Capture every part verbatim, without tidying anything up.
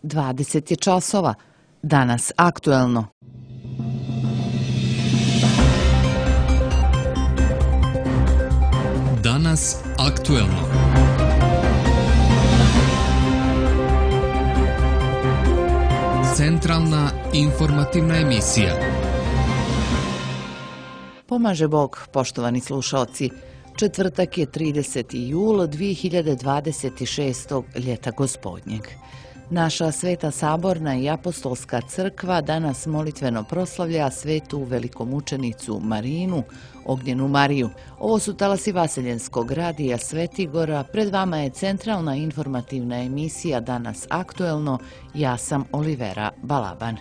dvadeset je časova. Danas aktuelno. Danas aktuelno. Centralna informativna emisija. Pomaže Bog, poštovani slušalci. Četvrtak je trideseti jul dvije hiljade dvadeset šestog ljeta gospodnjeg. Naša Sveta Saborna i Apostolska crkva danas molitveno proslavlja svetu velikomučenicu Marinu, Ognjenu Mariju. Ovo su talasi Vaseljenskog radija Svetigora. Pred vama je centralna informativna emisija Danas aktuelno. Ja sam Olivera Balaban.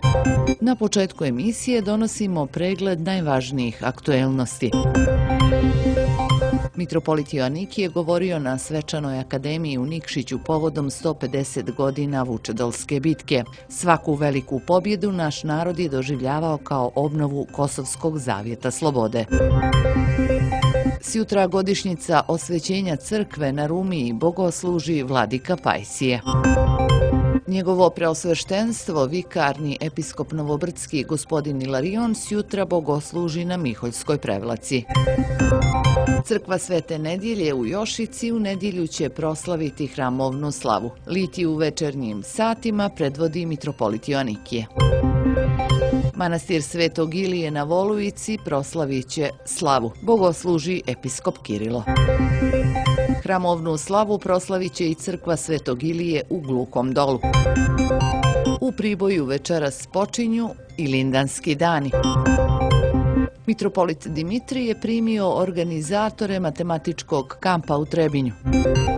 Na početku emisije donosimo pregled najvažnijih aktuelnosti. Mitropolit Joanikije je govorio na Svečanoj akademiji u Nikšiću povodom sto pedeset godina Vučedolske bitke. Svaku veliku pobjedu naš narod je doživljavao kao obnovu Kosovskog zavjeta slobode. Sjutra godišnjica osvećenja crkve na Rumiji bogosluži vladika Pajsije. Njegovo preosveštenstvo, vikarni episkop Novobrdski gospodin Ilarion, sjutra bogosluži na Miholjskoj prevlaci. Crkva Svete Nedjelje u Jošici u nedjelju će proslaviti hramovnu slavu. Litiju u večernjim satima predvodi mitropolit Joanikije. Manastir Svetog Ilije na Volujici proslavit će slavu. Bogosluži episkop Kirilo. Hramovnu slavu proslavit će i crkva Svetog Ilije u Glukom Dolu. U Priboju večeras počinju Ilindanski dani. Mitropolit Dimitrij je primio organizatore matematičkog kampa u Trebinju.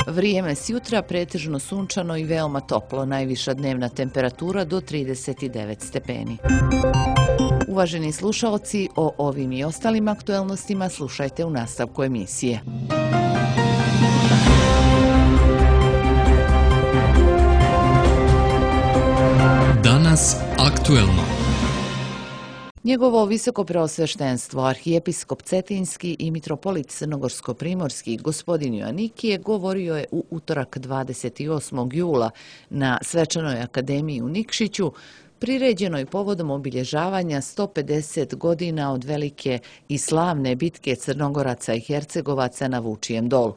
Vrijeme sjutra pretežno sunčano i veoma toplo, najviša dnevna temperatura do trideset devet stepeni. Uvaženi slušaoci, o ovim i ostalim aktuelnostima slušajte u nastavku emisije. Danas aktuelno. Njegovo visoko preosveštenstvo, arhijepiskop Cetinski i mitropolit Crnogorsko-primorski gospodin Joanikije govorio je u utorak dvadeset osmog jula na Svečanoj akademiji u Nikšiću, priređenoj povodom obilježavanja sto pedeset godina od velike i slavne bitke Crnogoraca i Hercegovaca na Vučijem dolu.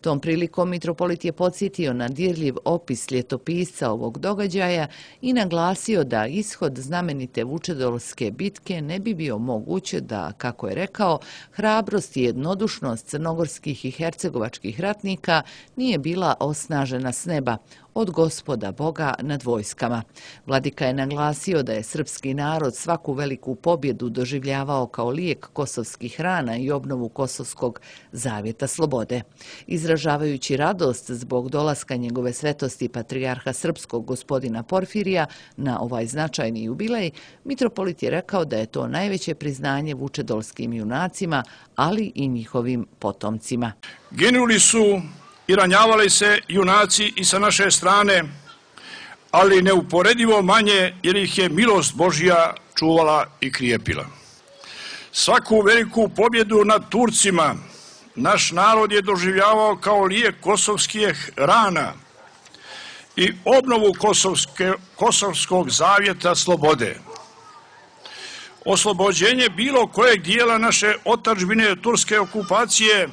Tom prilikom mitropolit je podsjetio na dirljiv opis ljetopisca ovog događaja i naglasio da ishod znamenite Vučedolske bitke ne bi bio moguće da, kako je rekao, hrabrost i jednodušnost crnogorskih i hercegovačkih ratnika nije bila osnažena s neba, od Gospoda Boga nad vojskama. Vladika je naglasio da je srpski narod svaku veliku pobjedu doživljavao kao lijek kosovskih rana i obnovu Kosovskog zavjeta slobode. Izražavajući radost zbog dolaska njegove svetosti patrijarha srpskog gospodina Porfirija na ovaj značajni jubilej, mitropolit je rekao da je to najveće priznanje vučedolskim junacima, ali i njihovim potomcima. Ginuli su i ranjavali se junaci i sa naše strane, ali neuporedivo manje jer ih je milost Božja čuvala i krijepila. Svaku veliku pobjedu nad Turcima naš narod je doživljavao kao lijek kosovskih rana i obnovu Kosovske, Kosovskog zavjeta slobode. Oslobođenje bilo kojeg dijela naše otadžbine turske okupacije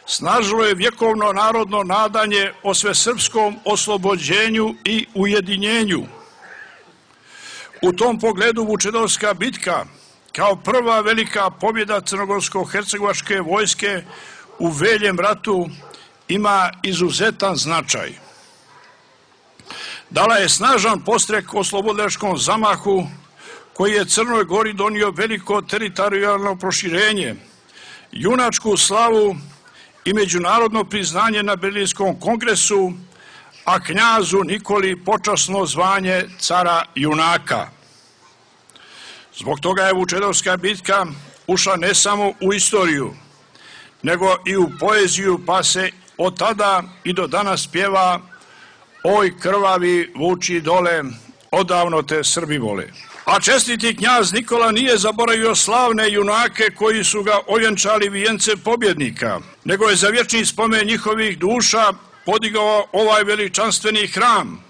snažilo je vjekovno narodno nadanje o svesrpskom oslobođenju i ujedinjenju. U tom pogledu Vučedolska bitka kao prva velika pobjeda crnogorsko-hercegovačke vojske u Veljem ratu ima izuzetan značaj. Dala je snažan podstrek oslobodilačkom zamahu koji je Crnoj Gori donio veliko teritorijalno proširenje, junačku slavu i međunarodno priznanje na Berlinskom kongresu, a knjazu Nikoli počasno zvanje cara junaka. Zbog toga je Vučedolska bitka ušla ne samo u istoriju, nego i u poeziju, pa se od tada i do danas pjeva "Oj krvavi vuči dole, odavno te Srbi vole". A čestiti knjaz Nikola nije zaboravio slavne junake koji su ga ovjenčali vijence pobjednika, nego je za vječni spomen njihovih duša podigao ovaj veličanstveni hram,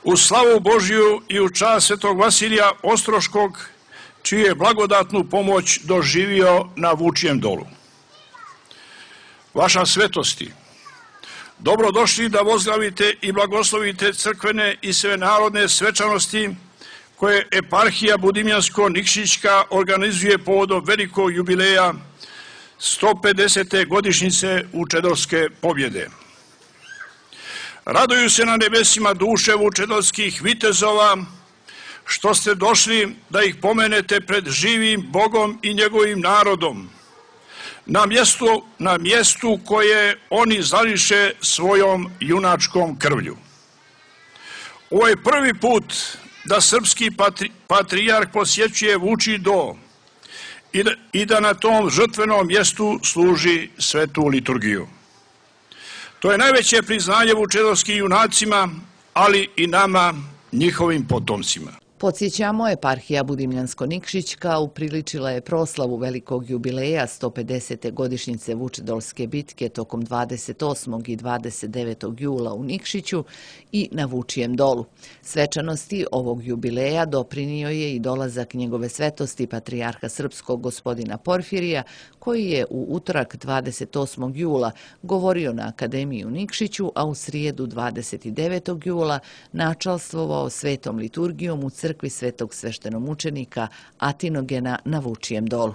U slavu Božiju i u čast svetog Vasilija Ostroškog, čiju je blagodatnu pomoć doživio na Vučijem dolu. Vaša svetosti, dobrodošli da vozdravite i blagoslovite crkvene i svenarodne svečanosti koje eparhija Budimljansko-Nikšićka organizuje povodom velikog jubileja sto pedesete godišnjice Vučedolske pobjede. Raduju se na nebesima duše vučedolskih vitezova što ste došli da ih pomenete pred živim Bogom i njegovim narodom, na mjestu, na mjestu koje oni zališe svojom junačkom krvlju. Ovo je prvi put da srpski patri, patrijarh posjećuje Vučji do i da, i da na tom žrtvenom mjestu služi svetu liturgiju. To je najveće priznanje vučedolskim junacima, ali i nama, njihovim potomcima. Podsjećamo, eparhija Budimljansko-Nikšićka upriličila je proslavu velikog jubileja sto pedesete godišnjice Vučedolske bitke tokom dvadeset osmog i dvadeset devetog jula u Nikšiću i na Vučijem dolu. Svečanosti ovog jubileja doprinio je i dolazak njegove svetosti patrijarha srpskog gospodina Porfirija, koji je u utorak dvadeset osmog jula govorio na Akademiji u Nikšiću, a u srijedu dvadeset devetog jula načalstvovao svetom liturgijom u crkvi svetog sveštenomučenika Atinogena na Vučijem dolu.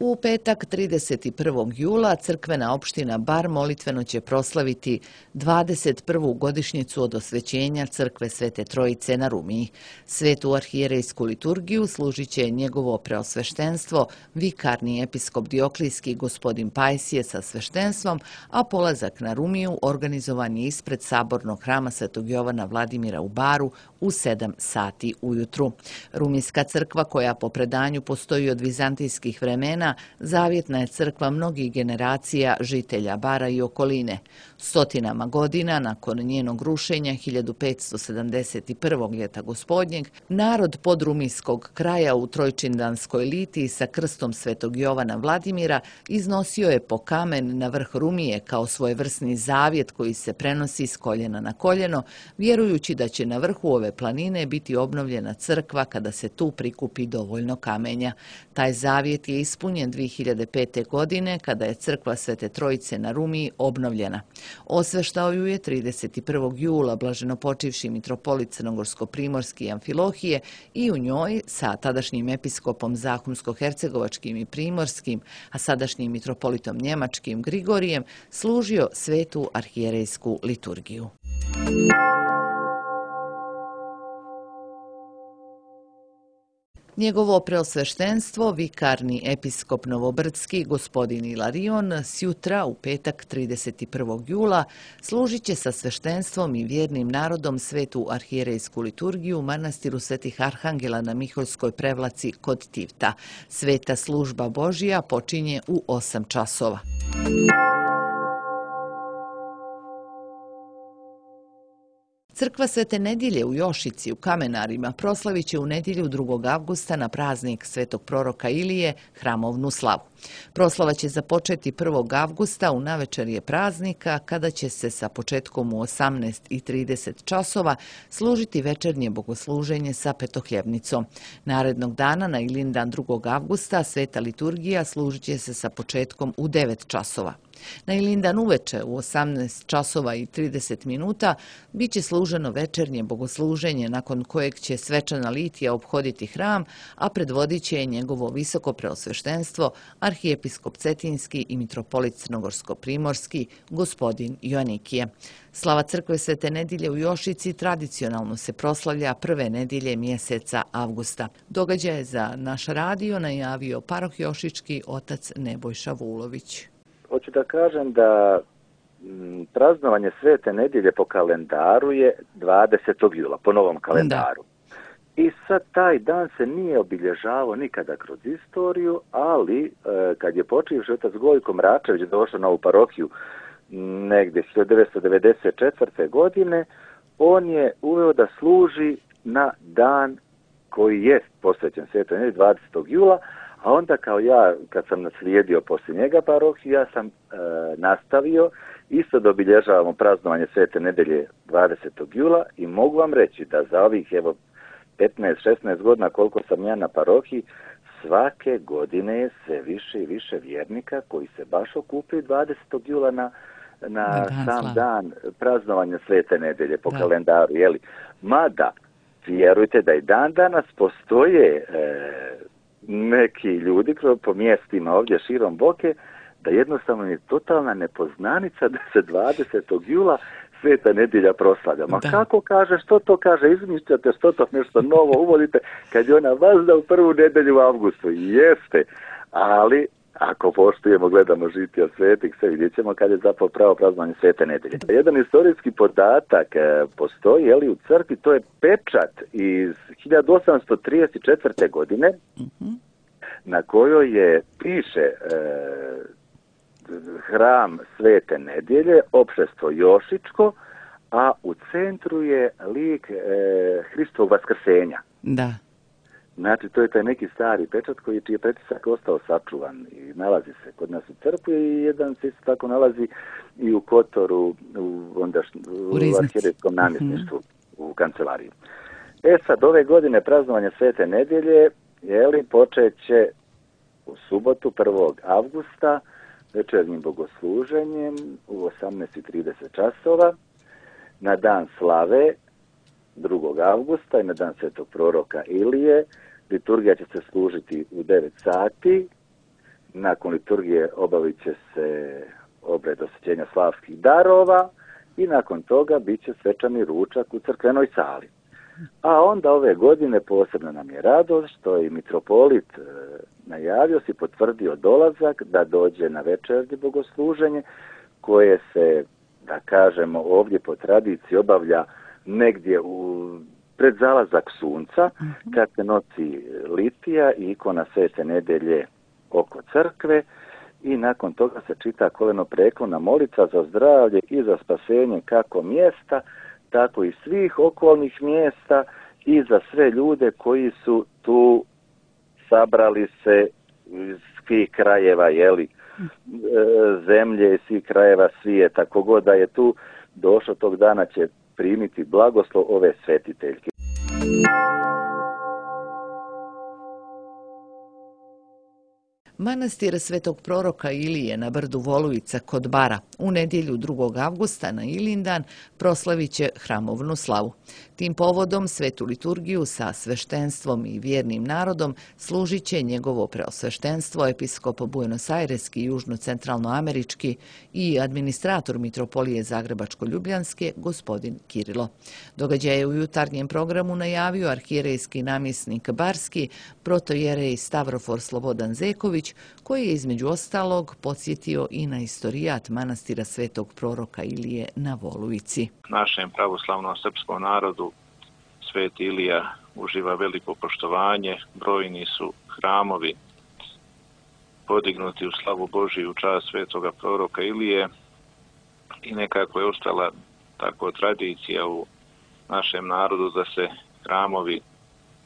U petak trideset prvog jula crkvena opština Bar molitveno će proslaviti dvadeset prvu godišnjicu od osvećenja crkve Svete Trojice na Rumiji. Svetu arhijerejsku liturgiju služit će njegovo preosveštenstvo, vikarni episkop Dioklijski gospodin Pajsije sa sveštenstvom, a polazak na Rumiju organizovan je ispred sabornog hrama Svetog Jovana Vladimira u Baru u sedam sati ujutru. Rumijska crkva, koja po predanju postoji od vizantijskih vremena, zavjetna je crkva mnogih generacija žitelja Bara i okoline. Stotinama godina nakon njenog rušenja hiljadu petsto sedamdeset prvog ljeta gospodnjeg, narod podrumijskog kraja u Trojčindanskoj litiji sa krstom Svetog Jovana Vladimira iznosio je po kamen na vrh Rumije kao svojevrsni zavjet koji se prenosi s koljena na koljeno, vjerujući da će na vrhu ove planine biti obnovljena crkva kada se tu prikupi dovoljno kamenja. Taj zavjet je ispunjen dvije hiljade pete. godine kada je crkva Svete Trojice na Rumiji obnovljena. Osveštao ju je trideset prvog jula blaženopočivši mitropolit Crnogorsko-primorski Amfilohije i u njoj sa tadašnjim episkopom Zahumsko-hercegovačkim i primorskim, a sadašnjim mitropolitom njemačkim Grigorijem služio svetu arhijerejsku liturgiju. Njegovo preosveštenstvo, vikarni episkop Novobrdski, gospodin Ilarion, sjutra u petak trideset prvog jula služit će sa sveštenstvom i vjernim narodom svetu arhijerejsku liturgiju u manastiru Svetih Arhangela na Miholjskoj prevlaci kod Tivta. Sveta služba Božija počinje u osam časova. Crkva Svete Nedjelje u Jošici u Kamenarima proslavit će u nedjelju drugog avgusta na praznik svetog proroka Ilije hramovnu slavu. Proslava će započeti prvog avgusta u navečerje praznika, kada će se sa početkom u osamnaest i trideset časova služiti večernje bogosluženje sa petohljevnicom. Narednog dana, na Ilindan drugog avgusta, sveta liturgija služit će se sa početkom u devet časova. Na Ilindan uveče u osamnaest časova i trideset minuta bit će služeno večernje bogosluženje, nakon kojeg će svečana litija ophoditi hram, a predvodit će njegovo visoko preosveštenstvo arhijepiskop Cetinski i mitropolit Crnogorsko-primorski gospodin Joanikije. Slava crkve Svete Nedjelje u Jošici tradicionalno se proslavlja prve nedjelje mjeseca avgusta. Događaj za naš radio najavio paroh Jošički otac Nebojša Vulović. Hoću da kažem da m, praznovanje Svete Nedjelje po kalendaru je dvadesetog jula, po novom kalendaru. Da. I sad taj dan se nije obilježavao nikada kroz istoriju, ali e, kad je počivši otac Gojko Mračević došao na ovu parohiju negdje hiljadu devetsto devedeset četvrte. godine, on je uveo da služi na dan koji je posvećen Svetoj Nedjelji dvadesetog jula, A onda kao ja, kad sam naslijedio poslije njega parohiju, ja sam e, nastavio isto da obilježavamo praznovanje Svete nedelje dvadesetog jula i mogu vam reći da za ovih evo petnaest šesnaest godina koliko sam ja na parohiji, svake godine je sve više i više vjernika koji se baš okupaju dvadesetog jula na, na, na dan sam slav. dan praznovanja Svete nedelje po da. kalendaru. Jeli? Mada, vjerujte da i dan danas postoje e, neki ljudi po mjestima ovdje širom Boke, da jednostavno je totalna nepoznanica da se dvadesetog jula Sveta nedjelja proslavlja. Ma da. kako kaže, što to kaže, izmišljate, što to nešto novo uvodite, kad je ona vazda u prvu nedjelju u avgustu. Jeste, ali ako poštujemo, gledamo žitija svetih, sve vidjet ćemo kad je zapravo pravo praznovanje Svete nedelje. Jedan historijski podatak e, postoji, jeli, u crkvi, to je pečat iz hiljadu osamsto trideset četvrte. godine, mm-hmm. na kojoj je, piše e, hram Svete nedjelje, opšestvo Jošičko, a u centru je lik e, Hristovog vaskrsenja. Da. Znači, to je taj neki stari pečat koji čiji je pretisak ostao sačuvan i nalazi se kod nas u crkvi i jedan se isto tako nalazi i u Kotoru, u, ondašnj, u, u arhijerejskom namjesništvu, mm-hmm. u kancelariji. E sad, ove godine praznovanje Svete nedjelje, jeli, počet će u subotu prvog avgusta večernjim bogosluženjem u osamnaest i trideset časova, na dan slave drugog avgusta i na dan svetog proroka Ilije. Liturgija će se služiti u devet sati. Nakon liturgije obavit će se obred osvećenja slavskih darova i nakon toga bit će svečani ručak u crkvenoj sali. A onda ove godine posebno nam je radost što je mitropolit e, najavio si potvrdio dolazak da dođe na večernje bogosluženje koje se, da kažemo, ovdje po tradiciji obavlja negdje u, pred zalazak sunca, mm-hmm. kad se nosi litija i ikona Svete nedelje oko crkve i nakon toga se čita kolenopreklona molitva za zdravlje i za spasenje kako mjesta, tako i svih okolnih mjesta i za sve ljude koji su tu sabrali se iz svih krajeva, jeli, zemlje i svih krajeva svijeta. Kogod da je tu došao tog dana će primiti blagoslov ove svetiteljke. Manastir Svetog proroka Ilije na brdu Volujica kod Bara u nedjelju drugog avgusta na Ilindan proslavit će hramovnu slavu. Tim povodom svetu liturgiju sa sveštenstvom i vjernim narodom služit će njegovo preosveštenstvo episkop Buenos Aireski, južno-centralnoamerički i administrator mitropolije Zagrebačko-Ljubljanske gospodin Kirilo. Događaj je u jutarnjem programu najavio arhijerejski namjesnik Barski, protojerej Stavrofor Slobodan Zeković, koji je između ostalog podsjetio i na istorijat manastira Svetog proroka Ilije na Volujici. Našem pravoslavnom srpskom narodu Sveti Ilija uživa veliko poštovanje, brojni su hramovi podignuti u slavu Božiju u čast Svetoga proroka Ilije i nekako je ostala tako tradicija u našem narodu da se hramovi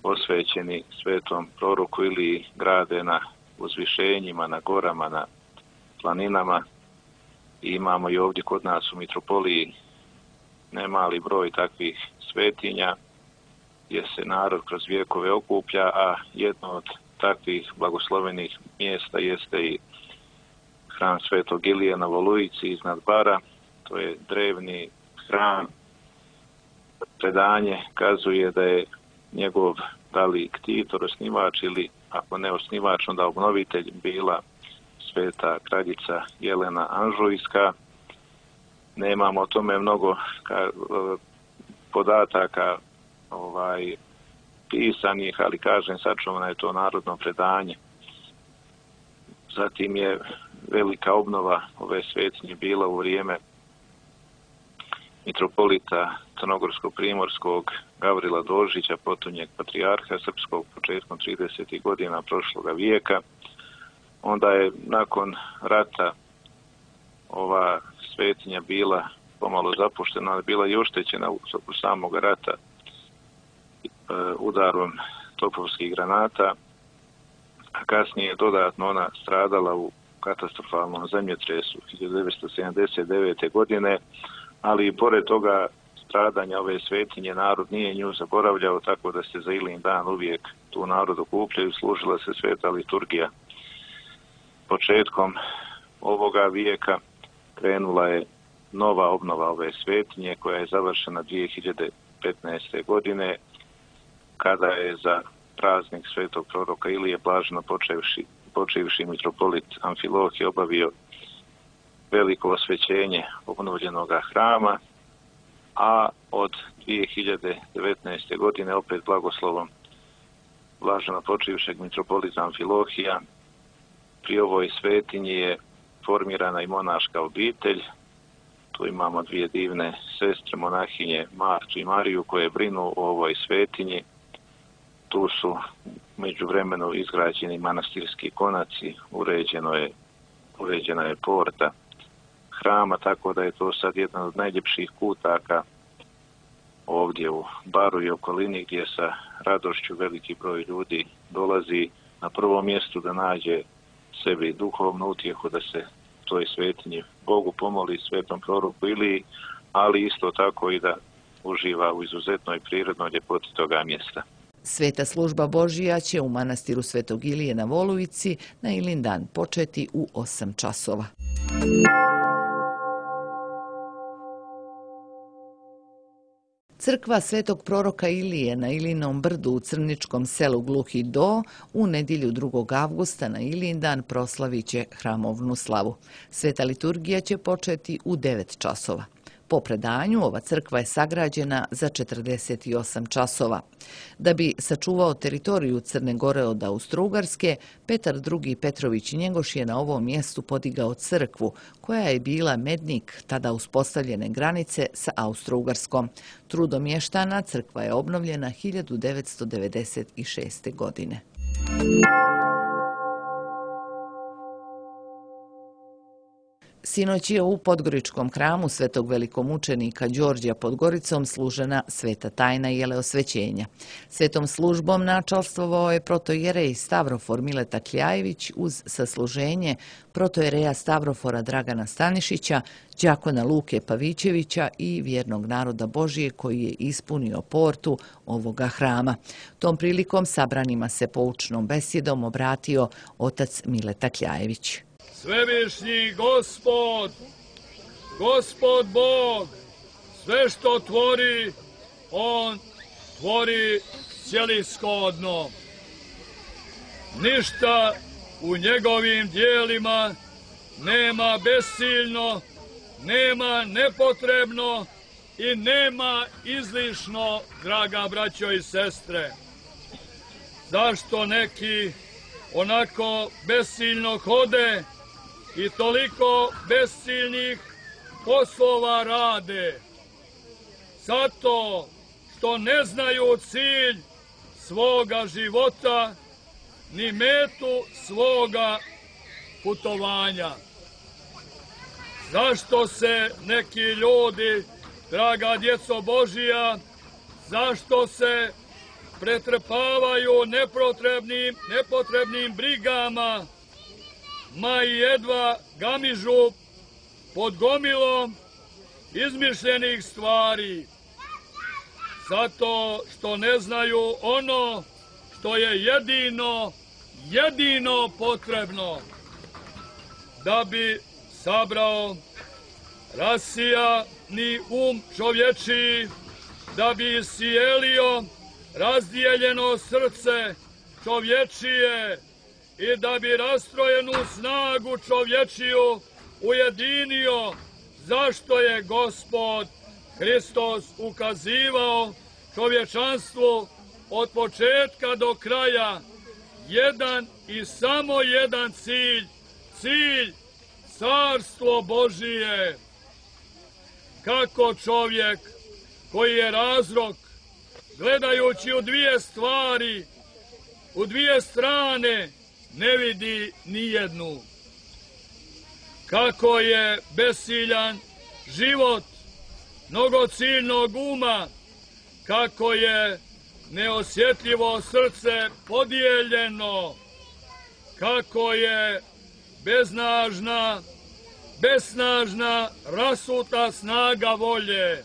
posvećeni Svetom proroku Iliji grade na uzvišenjima, na gorama, na planinama. I imamo i ovdje kod nas u mitropoliji nemali broj takvih svetinja gdje se narod kroz vijekove okuplja, a jedno od takvih blagoslovenih mjesta jeste i hram Svetog Ilije na Volujici iznad Bara. To je drevni hram. Predanje kazuje da je njegov da li ktitor, osnivač ili ako ne osnivač, onda obnovitelj bila sveta kraljica Jelena Anžujska. Nemamo o tome mnogo ka, podataka ovaj, pisanih, ali kažem, sačuvano je to narodno predanje. Zatim je velika obnova ove svetinje bila u vrijeme mitropolita Crnogorsko-Primorskog Gavrila Dožića, potonjeg patrijarha srpskog početkom tridesetih godina prošloga vijeka. Onda je nakon rata ova svetinja bila pomalo zapuštena, ali bila i oštećena u samog rata e, udarom topovskih granata a kasnije je dodatno ona stradala u katastrofalnom zemljotresu hiljadu devetsto sedamdeset devete. godine, ali i pored toga stradanja ove svetinje narod nije nju zaboravljao, tako da se za Ilin dan uvijek tu narod okupljaju, služila se sveta liturgija. Početkom ovoga vijeka krenula je nova obnova ove svetinje koja je završena dvije hiljade petnaeste. godine, kada je za praznik svetog proroka Ilije blaženo počevši, počevši mitropolit Amfilohije obavio veliko osvećenje obnovljenog hrama, a od dvije hiljade devetnaeste. godine opet blagoslovom blaženo počivšeg mitropolita Amfilohija pri ovoj svetinji je formirana i monaška obitelj. Tu imamo dvije divne sestre monahinje, Martu i Mariju, koje brinu o ovoj svetinji. Tu su međuvremeno izgrađeni manastirski konaci, uređeno je, uređena je porta hrama, tako da je to sad jedan od najljepših kutaka ovdje u Baru i okolini, gdje sa radošću veliki broj ljudi dolazi na prvom mjestu da nađe sebi duhovnu utjehu, da se toj svetinji Bogu pomoli, svetom proroku Iliji, ali isto tako i da uživa u izuzetnoj prirodnoj ljepoti toga mjesta. Sveta služba Božija će u manastiru Svetog Ilije na Volujici na Ilin dan početi u osam časova. Crkva Svetog proroka Ilije na Ilinom brdu u crničkom selu Gluhi Do u nedjelju drugog avgusta na Ilin dan proslavit će hramovnu slavu. Sveta liturgija će početi u devet časova. Po predanju, ova crkva je sagrađena za četrdeset osam časova. Da bi sačuvao teritoriju Crne Gore od Austro-Ugarske, Petar drugi. Petrović Njegoš je na ovom mjestu podigao crkvu, koja je bila mednik tada uspostavljene granice sa Austro-Ugarskom. Trudom mještana crkva je obnovljena hiljadu devetsto devedeset šeste. godine. Sinoć je u Podgoričkom hramu svetog velikomučenika Đorđa pod Goricom služena sveta tajna jeleosvećenja. Svetom službom načalstvovao je protojerej Stavrofor Mileta Kljajević uz sasluženje protojereja Stavrofora Dragana Stanišića, đakona Luke Pavićevića i vjernog naroda Božije koji je ispunio portu ovoga hrama. Tom prilikom sabranima se poučnom besjedom obratio otac Mileta Kljajević. Svevišnji Gospod, Gospod Bog, sve što tvori, On tvori cjelishodno. Ništa u njegovim dijelima nema besiljno, nema nepotrebno i nema izlišno, draga braćo i sestre. Zašto neki onako besiljno hode i toliko besiljnih poslova rade? Zato što ne znaju cilj svoga života ni metu svoga putovanja. Zašto se neki ljudi, draga djeco Božija, zašto se pretrpavaju nepotrebnim, nepotrebnim brigama, ma i jedva gamižu pod gomilom izmišljenih stvari? Zato što ne znaju ono što je jedino, jedino potrebno da bi sabrao rasijani um čovječiji, da bi iscijelio razdijeljeno srce čovječije i da bi rastrojenu snagu čovječiju ujedinio, zašto je Gospod Hristos ukazivao čovječanstvu od početka do kraja jedan i samo jedan cilj, cilj Carstvo Božije. Kako čovjek koji je razrok, gledajući u dvije stvari, u dvije strane, ne vidi nijednu. Kako je besiljan život mnogociljnog uma, kako je neosjetljivo srce podijeljeno, kako je beznažna, besnažna, rasuta snaga volje.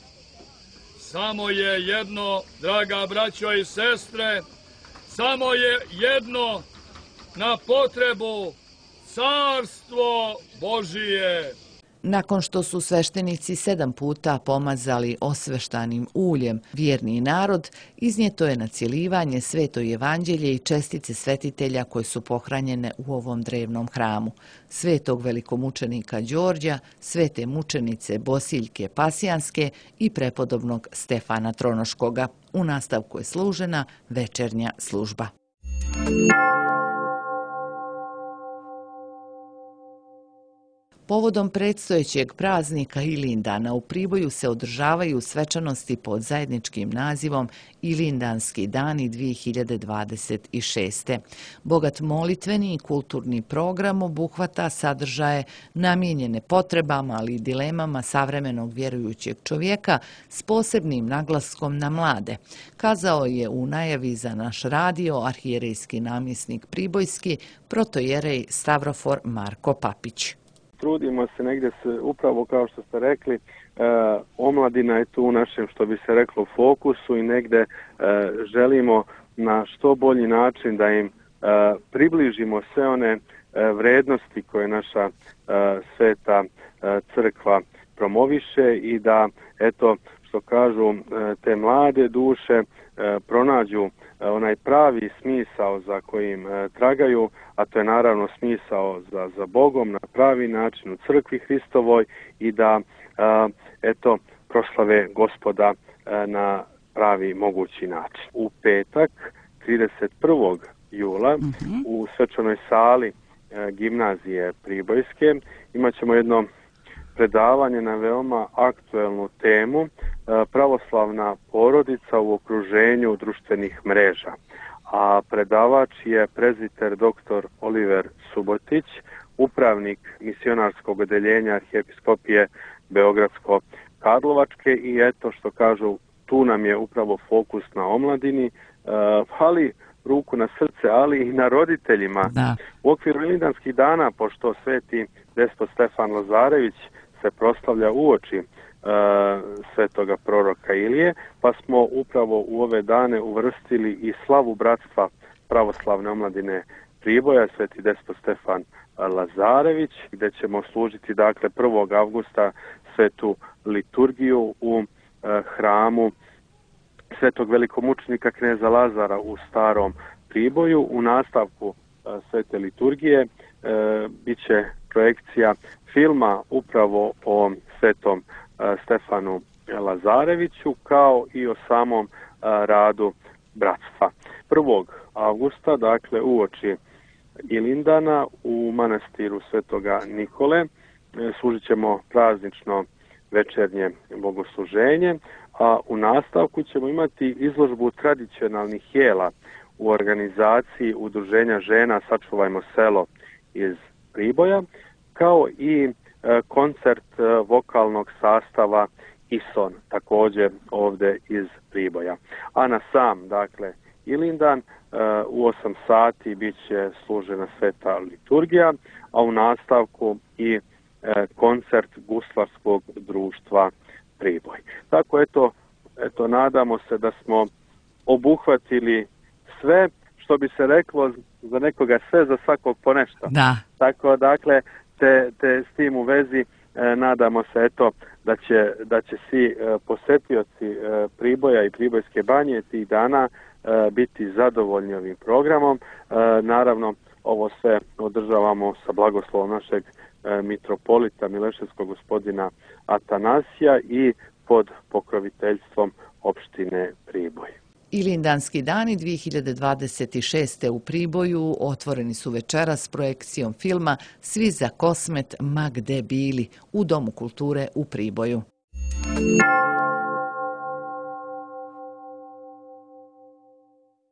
Samo je jedno, draga braćo i sestre, samo je jedno na potrebu carstvo Božije. Nakon što su sveštenici sedam puta pomazali osveštanim uljem vjerni narod, iznijeto je na cjelivanje sveto evanđelje i čestice svetitelja koje su pohranjene u ovom drevnom hramu. Svetog velikomučenika Đorđa, svete mučenice Bosiljke Pasijanske i prepodobnog Stefana Tronoškoga. U nastavku je služena večernja služba. Povodom predstojećeg praznika Ilindana u Priboju se održavaju svečanosti pod zajedničkim nazivom Ilindanski dani dvije hiljade dvadeset šeste. Bogat molitveni i kulturni program obuhvata sadržaje namijenjene potrebama, ali i dilemama savremenog vjerujućeg čovjeka s posebnim naglaskom na mlade, kazao je u najavi za naš radio arhijerejski namjesnik Pribojski protojerej Stavrofor Marko Papić. Trudimo se negdje se, upravo kao što ste rekli, e, omladina je tu u našem, što bi se reklo, fokusu i negdje e, želimo na što bolji način da im e, približimo sve one e, vrednosti koje naša e, sveta e, crkva promoviše i da, eto, što kažu, e, te mlade duše e, pronađu e, onaj pravi smisao za kojim e, tragaju, a to je naravno smisao za, za Bogom na pravi način u crkvi Hristovoj i da, a, eto, proslave Gospoda a, na pravi mogući način. U petak, trideset prvog jula, mm-hmm. u svečanoj sali a, gimnazije Pribojske imat ćemo jedno predavanje na veoma aktuelnu temu a, pravoslavna porodica u okruženju društvenih mreža. A predavač je prezbiter doktor Oliver Subotić, upravnik misionarskog odeljenja Arhijepiskopije Beogradsko-Karlovačke i eto što kažu, tu nam je upravo fokus na omladini, ali ruku na srce, ali i na roditeljima. Da. U okviru Ilindanskih dana, pošto sveti despot Stefan Lazarević se proslavlja uoči svetoga proroka Ilije, pa smo upravo u ove dane uvrstili i slavu bratstva pravoslavne omladine Priboja, sveti despot Stefan Lazarević, gdje ćemo služiti dakle prvog avgusta svetu liturgiju u eh, hramu svetog velikomučenika kneza Lazara u Starom Priboju. U nastavku eh, svete liturgije eh, bit će projekcija filma upravo o svetom Stefanu Lazareviću, kao i o samom a, radu bratstva. prvog avgusta, dakle uoči Ilindana, u manastiru Svetoga Nikole služit ćemo praznično večernje bogosluženje, a u nastavku ćemo imati izložbu tradicionalnih jela u organizaciji Udruženja žena Sačuvajmo selo iz Priboja, kao i koncert vokalnog sastava Ison, također ovdje iz Priboja. A na sam, dakle, Ilindan u osam sati bit će služena sveta liturgija, a u nastavku i koncert Guslarskog društva Priboj. Tako, eto, eto, nadamo se da smo obuhvatili sve, što bi se reklo, za nekoga sve, za svakog po nešto. Da. Tako, dakle, Te, te s tim u vezi e, nadamo se eto da će, da će svi e, posetioci e, Priboja i Pribojske banje tih dana e, biti zadovoljni ovim programom. E, naravno, ovo sve održavamo sa blagoslovom našeg e, mitropolita Mileševskog gospodina Atanasija i pod pokroviteljstvom opštine Priboj. Ilindanski dani dvije hiljade dvadeset šeste u Priboju otvoreni su večeras s projekcijom filma Svi za Kosmet ma gde bili u Domu kulture u Priboju.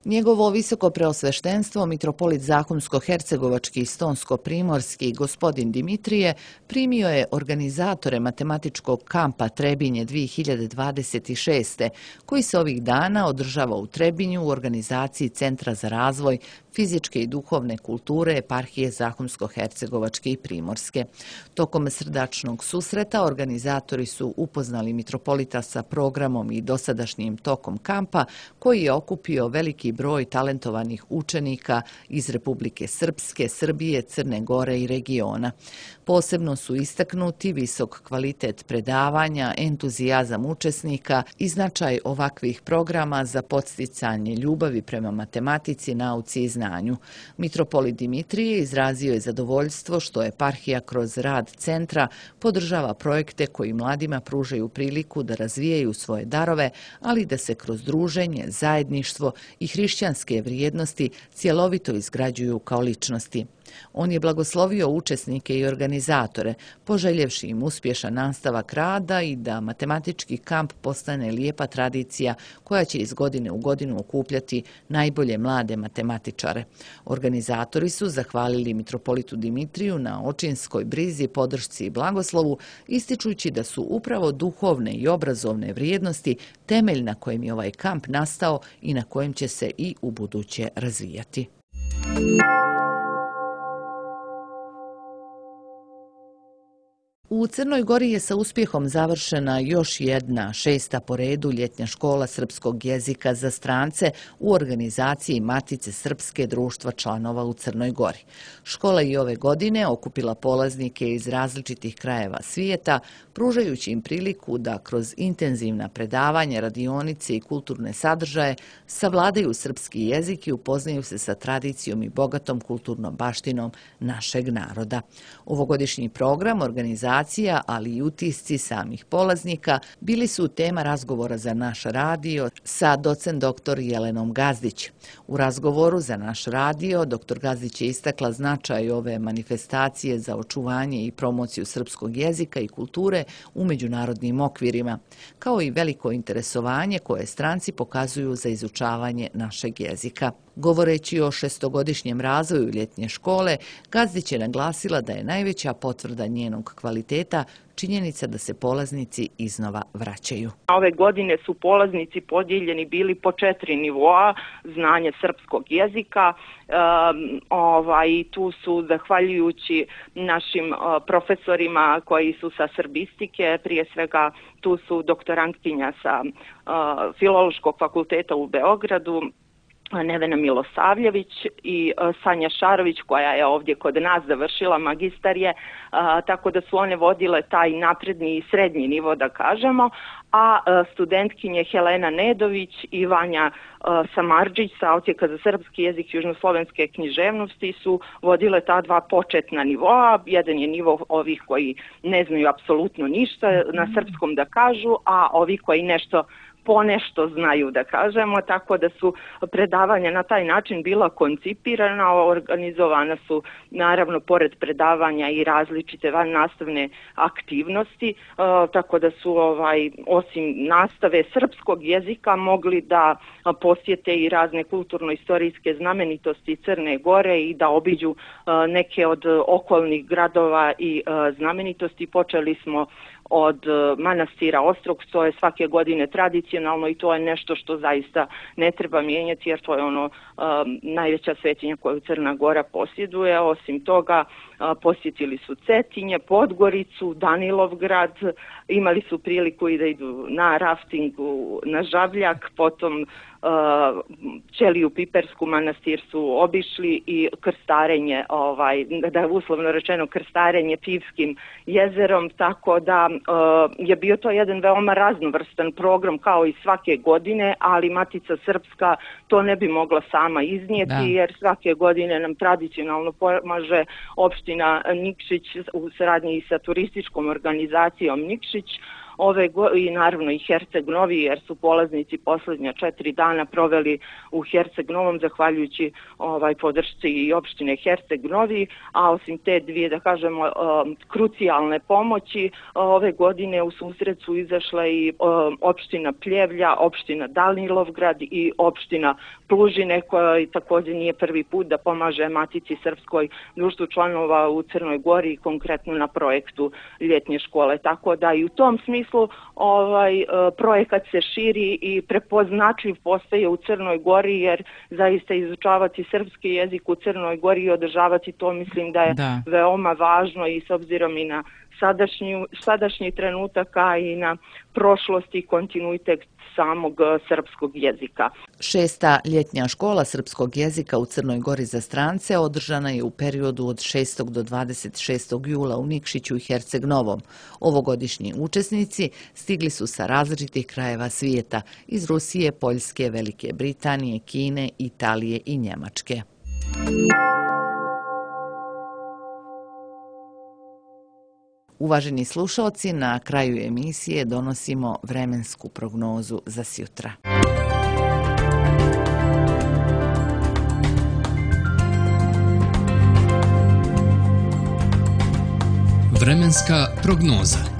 Njegovo visoko preosveštenstvo, mitropolit Zahumsko-hercegovački i Stonsko-primorski gospodin Dimitrije primio je organizatore matematičkog kampa Trebinje dvije hiljade dvadeset šeste. koji se ovih dana održava u Trebinju u organizaciji Centra za razvoj fizičke i duhovne kulture eparhije Zahumsko-hercegovačke i Primorske. Tokom srdačnog susreta organizatori su upoznali mitropolita sa programom i dosadašnjim tokom kampa koji je okupio veliki broj talentovanih učenika iz Republike Srpske, Srbije, Crne Gore i regiona. Posebno su istaknuti visok kvalitet predavanja, entuzijazam učesnika i značaj ovakvih programa za podsticanje ljubavi prema matematici, nauci i znanju. Mitropolit Dimitrije izrazio je zadovoljstvo što eparhija kroz rad centra podržava projekte koji mladima pružaju priliku da razvijaju svoje darove, ali da se kroz druženje, zajedništvo i hrišćanske vrijednosti cjelovito izgrađuju kao ličnosti. On je blagoslovio učesnike i organizatore, poželjevši im uspješan nastavak rada i da matematički kamp postane lijepa tradicija koja će iz godine u godinu okupljati najbolje mlade matematičare. Organizatori su zahvalili mitropolitu Dimitriju na očinskoj brizi, podršci i blagoslovu, ističujući da su upravo duhovne i obrazovne vrijednosti temelj na kojem je ovaj kamp nastao i na kojem će se i u buduće razvijati. U Crnoj Gori je sa uspjehom završena još jedna, šesta po redu ljetnja škola srpskog jezika za strance u organizaciji Matice Srpske društva članova u Crnoj Gori. Škola je ove godine okupila polaznike iz različitih krajeva svijeta, pružajući im priliku da kroz intenzivna predavanja, radionice i kulturne sadržaje savladaju srpski jezik i upoznaju se sa tradicijom i bogatom kulturnom baštinom našeg naroda. Ovogodišnji program organizacije ali i utisci samih polaznika bili su tema razgovora za naš radio sa docent doktor Jelenom Gazdić. U razgovoru za naš radio doktor Gazdić je istakla značaj ove manifestacije za očuvanje i promociju srpskog jezika i kulture u međunarodnim okvirima, kao i veliko interesovanje koje stranci pokazuju za izučavanje našeg jezika. Govoreći o šestogodišnjem razvoju ljetnje škole, Gazdić je naglasila da je najveća potvrda njenog kvaliteta činjenica da se polaznici iznova vraćaju. Ove godine su polaznici podijeljeni bili po četiri nivoa, znanje srpskog jezika. Um, ovaj, tu su, zahvaljujući našim uh, profesorima koji su sa srbistike, prije svega tu su doktorantkinja sa uh, Filološkog fakulteta u Beogradu, Nevena Milosavljević i Sanja Šarović koja je ovdje kod nas završila magistarije, tako da su one vodile taj napredni i srednji nivo da kažemo, a studentkinje Helena Nedović i Vanja Samardžić sa Odsjeka za srpski jezik južnoslovenske književnosti su vodile ta dva početna nivoa. Jedan je nivo ovih koji ne znaju apsolutno ništa na srpskom da kažu, a ovi koji nešto ponešto znaju da kažemo, tako da su predavanja na taj način bila koncipirana, organizovana su naravno pored predavanja i različite vannastavne aktivnosti, tako da su ovaj osim nastave srpskog jezika mogli da posjete i razne kulturno-istorijske znamenitosti Crne Gore i da obiđu neke od okolnih gradova i znamenitosti. Počeli smo od manastira Ostrog, to je svake godine tradicionalno i to je nešto što zaista ne treba mijenjati jer to je ono um, najveća svetinja koju Crna Gora posjeduje. Osim toga uh, posjetili su Cetinje, Podgoricu, Danilovgrad, imali su priliku i da idu na raftingu na Žabljak, potom Uh, Ćeliju Pipersku manastir su obišli i krstarenje, ovaj, da je uslovno rečeno krstarenje Pivskim jezerom, tako da uh, je bio to jedan veoma raznovrstan program kao i svake godine, ali Matica Srpska to ne bi mogla sama iznijeti da. Jer svake godine nam tradicionalno pomaže opština Nikšić u saradnji sa turističkom organizacijom Nikšić. ove go i naravno i Herceg Novi, jer su polaznici posljednja četiri dana proveli u Herceg Novom zahvaljujući ovaj podršci i opštine Herceg Novi, a osim te dvije, da kažemo, um, krucijalne pomoći, ove godine u susret su izašle i um, opština Pljevlja, opština Danilovgrad i opština Plužine, koja također nije prvi put da pomaže Matici Srpskoj, društvu članova u Crnoj Gori, konkretno na projektu ljetnje škole. Tako da i u tom smislu ovaj projekat se širi i prepoznatljiv postaje u Crnoj Gori, jer zaista izučavati srpski jezik u Crnoj Gori i održavati to, mislim da je da. veoma važno i s obzirom i na sadašnju, sadašnji trenutak, a i na prošlost i kontinuitet samog srpskog jezika. Šesta ljetnja škola srpskog jezika u Crnoj Gori za strance održana je u periodu od šestog do dvadeset šestog jula u Nikšiću i Herceg Novom. Ovogodišnji učesnici stigli su sa različitih krajeva svijeta, iz Rusije, Poljske, Velike Britanije, Kine, Italije i Njemačke. Uvaženi slušalci, na kraju emisije donosimo vremensku prognozu za sjutra. Vremenska prognoza.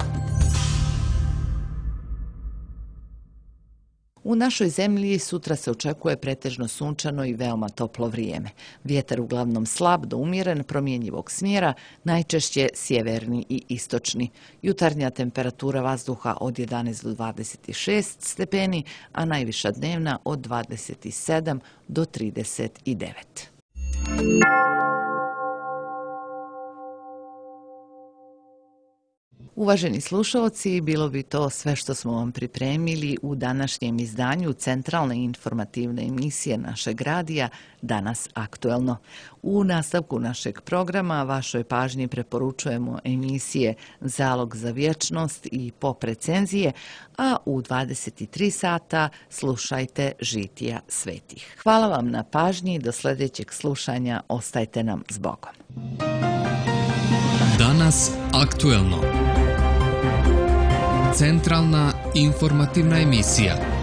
U našoj zemlji sutra se očekuje pretežno sunčano i veoma toplo vrijeme. Vjetar uglavnom slab do umjeren, promjenjivog smjera, najčešće sjeverni i istočni. Jutarnja temperatura vazduha od jedanaest do dvadeset šest stepeni, a najviša dnevna od dvadeset sedam do trideset devet. Uvaženi slušalci, bilo bi to sve što smo vam pripremili u današnjem izdanju centralne informativne emisije našeg radija Danas aktuelno. U nastavku našeg programa vašoj pažnji preporučujemo emisije Zalog za vječnost i Pop recenzije, a u dvadeset tri sata slušajte Žitija svetih. Hvala vam na pažnji i do sljedećeg slušanja ostajte nam s Bogom. Danas aktuelno. Centralna informativna emisija.